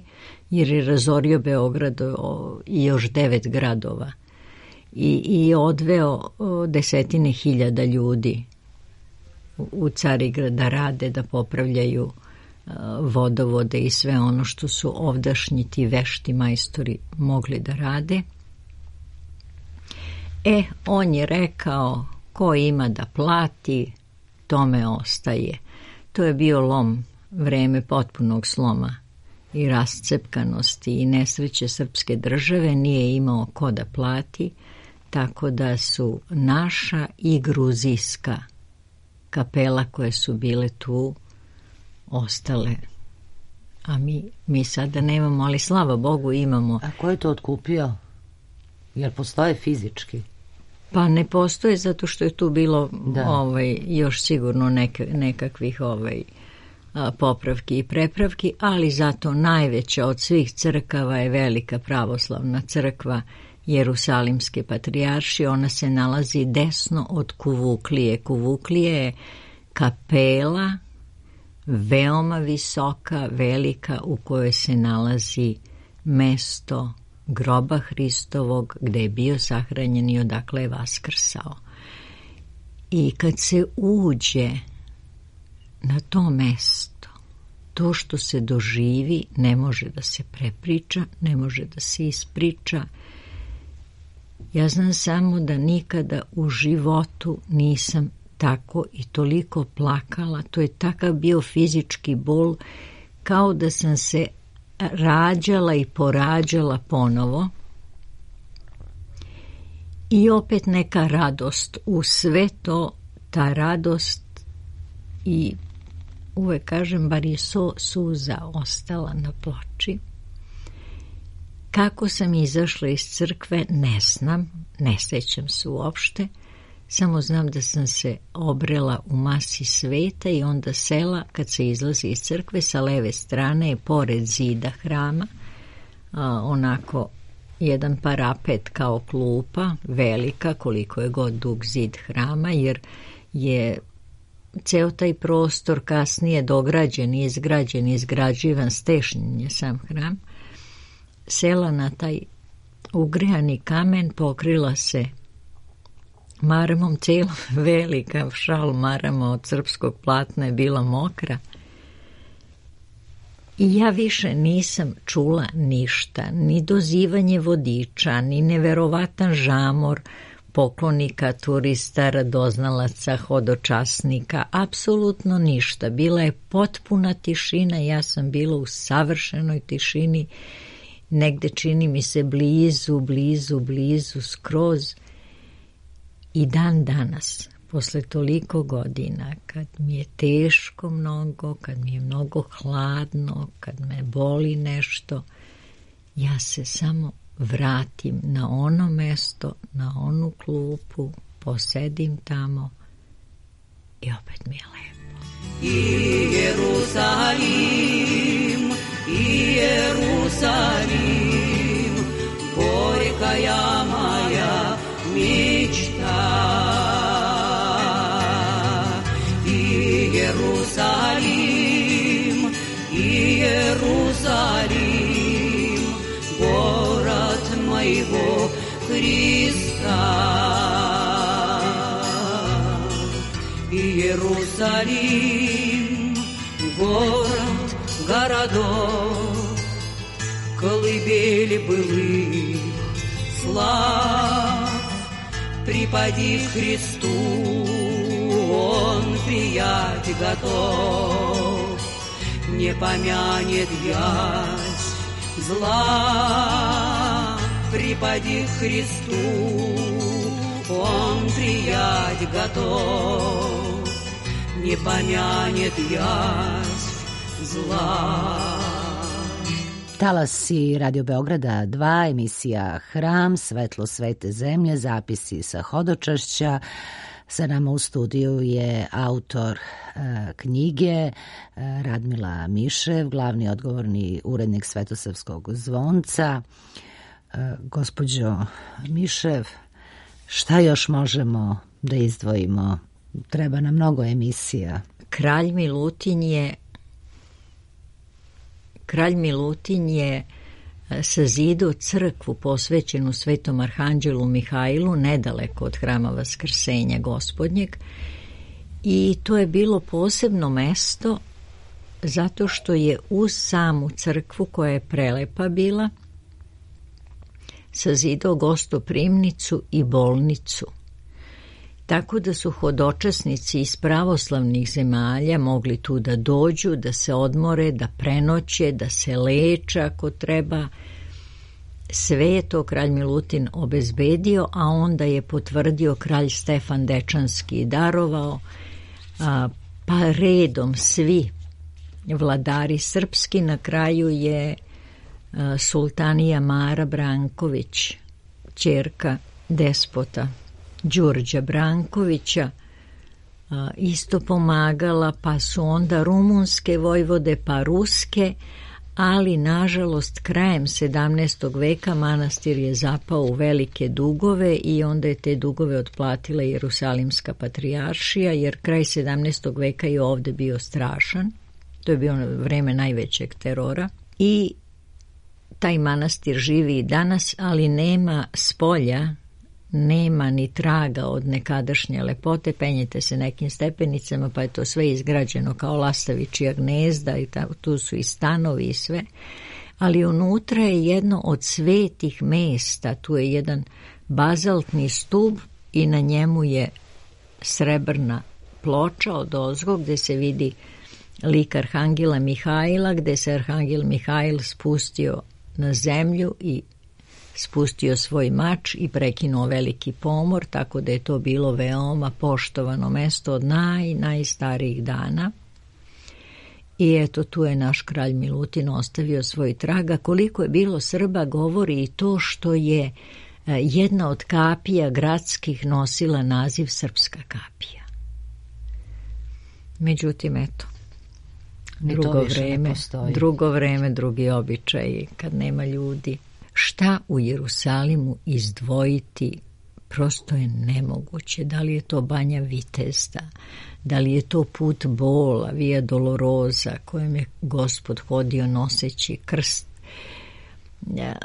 D: jer je razorio Beograd i još 9 gradova i odveo desetine hiljada ljudi u Carigrad da rade, da popravljaju vodovode i sve ono što su ovdašnji ti vešti majstori mogli da rade. On je rekao, ko ima da plati, tome ostaje. To je bio lom, vreme potpunog sloma i rascepkanosti i nesreće srpske države, nije imao ko da plati, tako da su naša i gruzijska kapela koje su bile tu ostale. A mi sada nemamo, ali slava Bogu imamo.
A: A ko je to otkupio? Jer postoje fizički?
D: Pa ne postoje, zato što je tu bilo još sigurno nekakvih popravki i prepravki, ali zato najveća od svih crkava je Velika pravoslavna crkva Jerusalimske patrijaršije. Ona se nalazi desno od Kuvuklije. Kuvuklije je kapela veoma visoka, velika, u kojoj se nalazi mesto groba Hristovog, gde je bio sahranjen i odakle je vaskrsao. I kad se uđe na to mesto, to što se doživi ne može da se prepriča, ne može da se ispriča. Ja znam samo da nikada u životu nisam tako i toliko plakala. To je takav bio fizički bol, kao da sam se rađala i porađala ponovo. I opet neka radost u sve to, ta radost, i uvek kažem, bar je suza ostala na ploči. Kako sam izašla iz crkve, ne znam, ne sećam se uopšte, samo znam da sam se obrela u masi sveta i onda sela, kad se izlazi iz crkve, sa leve strane je pored zida hrama, onako jedan parapet kao klupa, velika, koliko je god dug zid hrama, jer je ceo taj prostor kasnije dograđen, izgrađivan, stešnjen je sam hram. Sela na taj ugrejani kamen, pokrila se maramom, cijela velika šal marama od srpskog platna je bila mokra. I ja više nisam čula ništa, ni dozivanje vodiča, ni neverovatan žamor poklonika, turista, radoznalaca, hodočasnika, apsolutno ništa. Bila je potpuna tišina, ja sam bila u savršenoj tišini, negde čini mi se blizu, skroz. I dan danas, posle toliko godina, kad mi je teško mnogo, kad mi je mnogo hladno, kad me boli nešto, ja se samo vratim na ono mesto, na onu klupu, posedim tamo i opet mi je lepo.
E: I Jerusalim, горькая моя мечта. И Иерусалим, город моего Христа. Иерусалим, город городов, колыбель былых слав, припади к Христу, Он приять готов, не помянет ясь зла. Припади к Христу, Он приять готов, не помянет ясь zla.
A: Talasi Radio Beograda 2, emisija Hram, svetlo svete zemlje, zapisi sa hodočašća. Sa nama u studiju je autor knjige Radmila Mišev, glavni odgovorni urednik Svetosavskog zvonca. Gospođo Mišev, šta još možemo da izdvojimo? Treba nam mnogo emisija.
D: kralj Milutin je sazidao crkvu posvećenu Svetom Arhanđelu Mihajlu nedaleko od hrama Vaskrsenja Gospodnjeg, i to je bilo posebno mesto zato što je uz samu crkvu, koja je prelepa bila, sazidao gostoprimnicu i bolnicu. Tako da su hodočasnici iz pravoslavnih zemalja mogli tu da dođu, da se odmore, da prenoće, da se leče ako treba. Sve je to kralj Milutin obezbedio, a onda je potvrdio kralj Stefan Dečanski i darovao, pa redom svi vladari srpski. Na kraju je sultanija Mara Branković, ćerka despota Đurđa Brankovića, isto pomagala, pa su onda rumunske vojvode, pa ruske, ali nažalost krajem 17. veka manastir je zapao u velike dugove i onda je te dugove otplatila Jerusalimska patrijaršija, jer kraj 17. veka je ovde bio strašan. To je bio vreme najvećeg terora i taj manastir živi i danas, ali nema spolja, nema ni traga od nekadašnje lepote. Penjete se nekim stepenicama, pa je to sve izgrađeno kao lastavičija gnezda i tu su i stanovi i sve. Ali unutra je jedno od svetih mesta, tu je jedan bazaltni stub i na njemu je srebrna ploča odozgo gde se vidi lik Arhangela Mihajla, gde se Arhangel Mihajl spustio na zemlju i spustio svoj mač i prekinuo veliki pomor, tako da je to bilo veoma poštovano mesto od najstarijih dana. I eto, tu je naš kralj Milutin ostavio svoj traga. Koliko je bilo Srba govori i to što je jedna od kapija gradskih nosila naziv Srpska kapija. Međutim, eto, drugo vreme, drugi običaj, kad nema ljudi. Šta u Jerusalimu izdvojiti prosto je nemoguće. Da li je to Banja Vitezda, da li je to put bola, Via Dolorosa kojem je Gospod hodio noseći krst,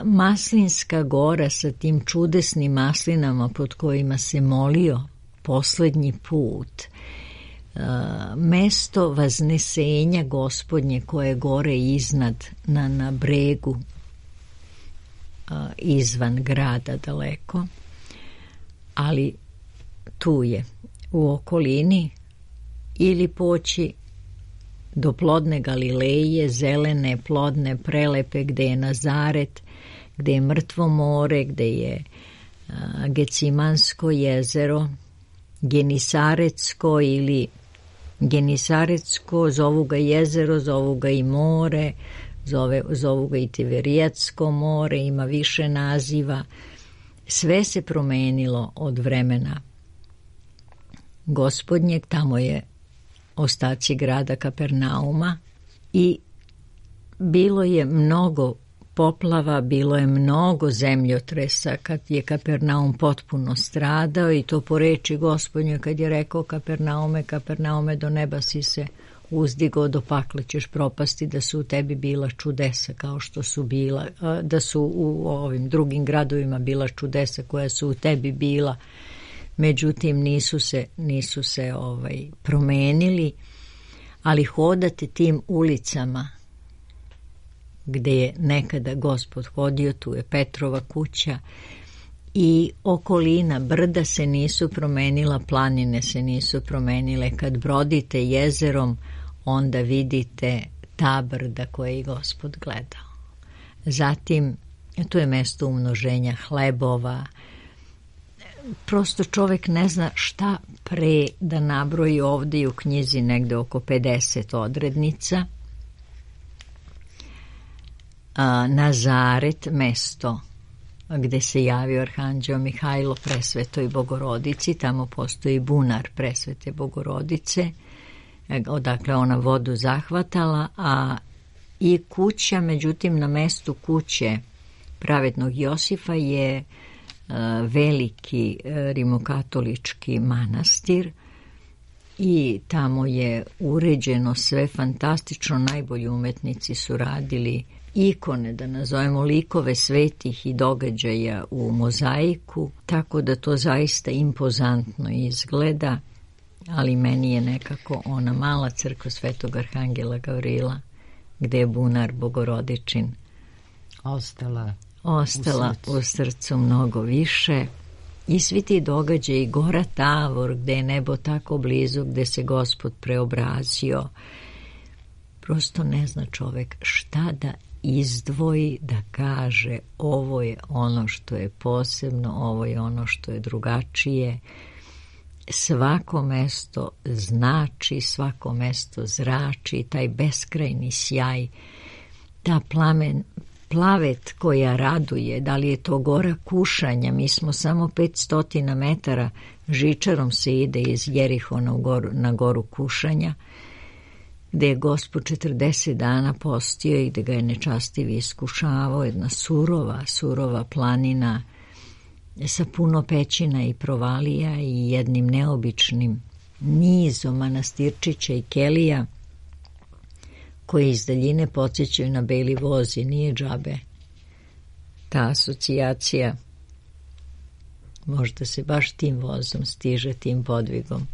D: Maslinska gora sa tim čudesnim maslinama pod kojima se molio poslednji put, mesto vaznesenja Gospodnje koje je gore iznad na bregu izvan grada daleko, ali tu je u okolini, ili poći do plodne Galileje, zelene, plodne, prelepe, gde je Nazaret, gde je Mrtvo more, gde je Gecimansko jezero, Genisaretsko ili Genisaretsko, zovu ga jezero, zovu ga i more, zovu ga i Tiberijatsko more, ima više naziva. Sve se promenilo od vremena Gospodnjeg, tamo je ostaci grada Kapernauma i bilo je mnogo poplava, bilo je mnogo zemljotresa kad je Kapernaum potpuno stradao, i to po reči Gospodnje kad je rekao Kapernaume, Kapernaume, do neba si se uzdigo, do pakla ćeš propasti, da su u tebi bila čudesa kao što su bila, da su u ovim drugim gradovima bila čudesa koja su u tebi bila, međutim nisu se promenili, ali hodate tim ulicama gde je nekada Gospod hodio, tu je Petrova kuća i okolina, brda se nisu promenila, planine se nisu promenile. Kad brodite jezerom, onda vidite ta brda koje je Gospod gledao. Zatim, tu je mesto umnoženja hlebova. Prosto čovek ne zna šta pre da nabroji. Ovde i u knjizi negde oko 50 odrednica. Nazaret, mesto gde se javio Arhanđeo Mihajlo Presvetoj Bogorodici, tamo postoji bunar Presvete Bogorodice, odakle ona vodu zahvatala, a i kuća, međutim na mestu kuće pravednog Josifa je veliki rimokatolički manastir, i tamo je uređeno sve fantastično, najbolji umetnici su radili ikone, da nazovemo likove svetih i događaja u mozaiku, tako da to zaista impozantno izgleda, ali meni je nekako ona mala crkva Svetog Arhangela Gavrila, gde je bunar Bogorodičin ostala u srcu mnogo više. I svi ti događaji, Gora Tavor, gde je nebo tako blizu, gde se Gospod preobrazio, prosto ne zna čovek šta da izdvoji, da kaže ovo je ono što je posebno, ovo je ono što je drugačije. Svako mesto znači, svako mesto zrači, taj beskrajni sjaj, ta plavet koja raduje, da li je to Gora Kušanja, mi smo samo 500 metara, žičarom se ide iz Jerihona na Goru Kušanja, gde je Gospod 40 dana postio i gde ga je nečastivi iskušavao, jedna surova planina sa puno pećina i provalija i jednim neobičnim nizom manastirčića i kelija koje iz daljine podsjećaju na beli voz i nije džabe. Ta asocijacija, možda se baš tim vozom stiže, tim podvigom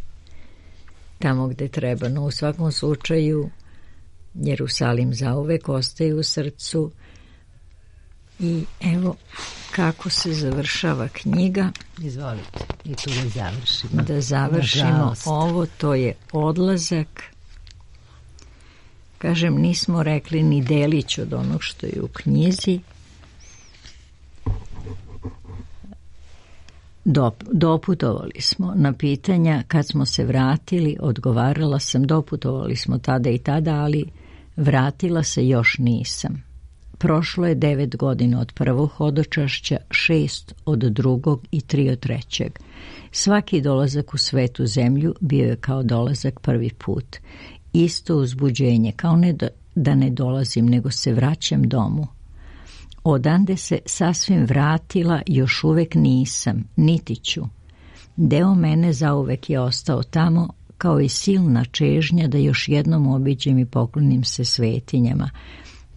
D: tamo gde treba, no u svakom slučaju Jerusalim zauvek ostaje u srcu. I evo kako se završava knjiga.
A: Izvolite, i tu da završimo.
D: Da završimo ovo, to je odlazak. Kažem, nismo rekli ni delić od onog što je u knjizi. Doputovali smo na pitanja, kad smo se vratili, odgovarala sam, doputovali smo tada i tada, ali vratila se još nisam. Prošlo je 9 godina od prvog hodočašća, 6 od drugog i 3 od trećeg. Svaki dolazak u svetu zemlju bio je kao dolazak prvi put. Isto uzbuđenje, kao ne da ne dolazim, nego se vraćam domu. Odande se sasvim vratila, još uvek nisam, niti ću. Deo mene zauvek je ostao tamo, kao i silna čežnja da još jednom obiđem i poklonim se svetinjama.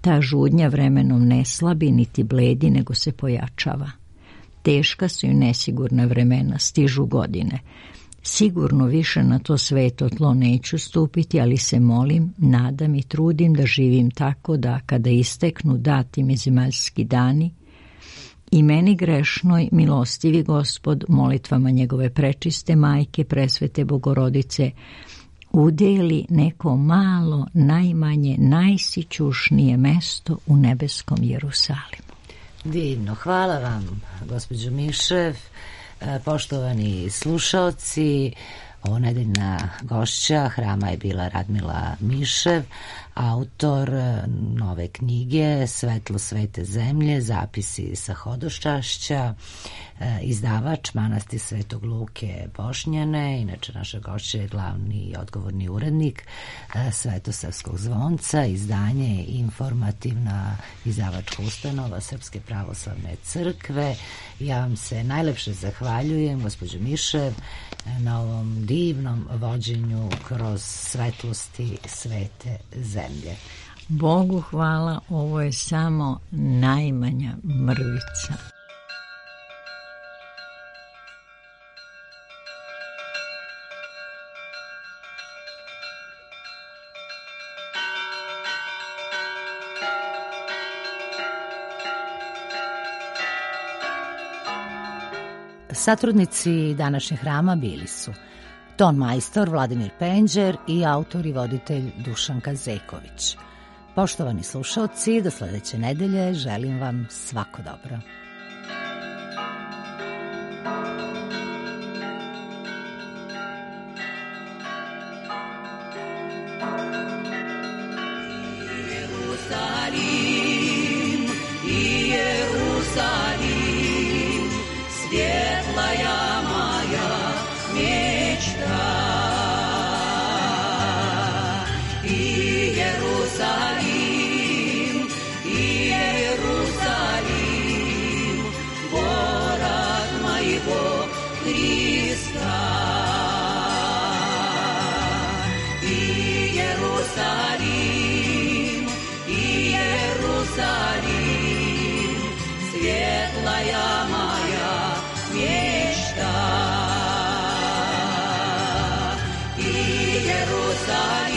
D: Ta žudnja vremenom ne slabi, niti bledi, nego se pojačava. Teška su i nesigurna vremena, stižu godine. Sigurno više na to sveto tlo neću stupiti, ali se molim, nadam i trudim da živim tako da, kada isteknu dati mi zemaljski dani, i meni grešnoj milostivi Gospod molitvama njegove prečiste majke, presvete Bogorodice, udeli neko malo, najmanje, najsićušnije mesto u nebeskom Jerusalimu.
A: Divno, hvala vam, gospođo Mišev. Poštovani slušaoci, ovo nedeljna gošća hrama je bila Radmila Mišev, autor nove knjige Svetlo svete zemlje, zapisi sa hodočašća, izdavač Manastir Svetog Luke Bošnjane. Inače, naša gošća je glavni i odgovorni urednik Svetosavskog zvonca, izdanje informativna izdavačka ustanova Srpske pravoslavne crkve. Ja vam se najlepše zahvaljujem, gospođo Mišev, na ovom divnom vođenju kroz svetlosti svete zemlje.
D: Bogu hvala, ovo je samo najmanja mrvica.
A: Satrudnici današnjeg hrama bili su ton majstor Vladimir Penđer i autor i voditelj Dušan Kazeković. Poštovani slušalci, do sledeće nedelje želim vam svako dobro.
E: Иерусалим, Иерусалим, стали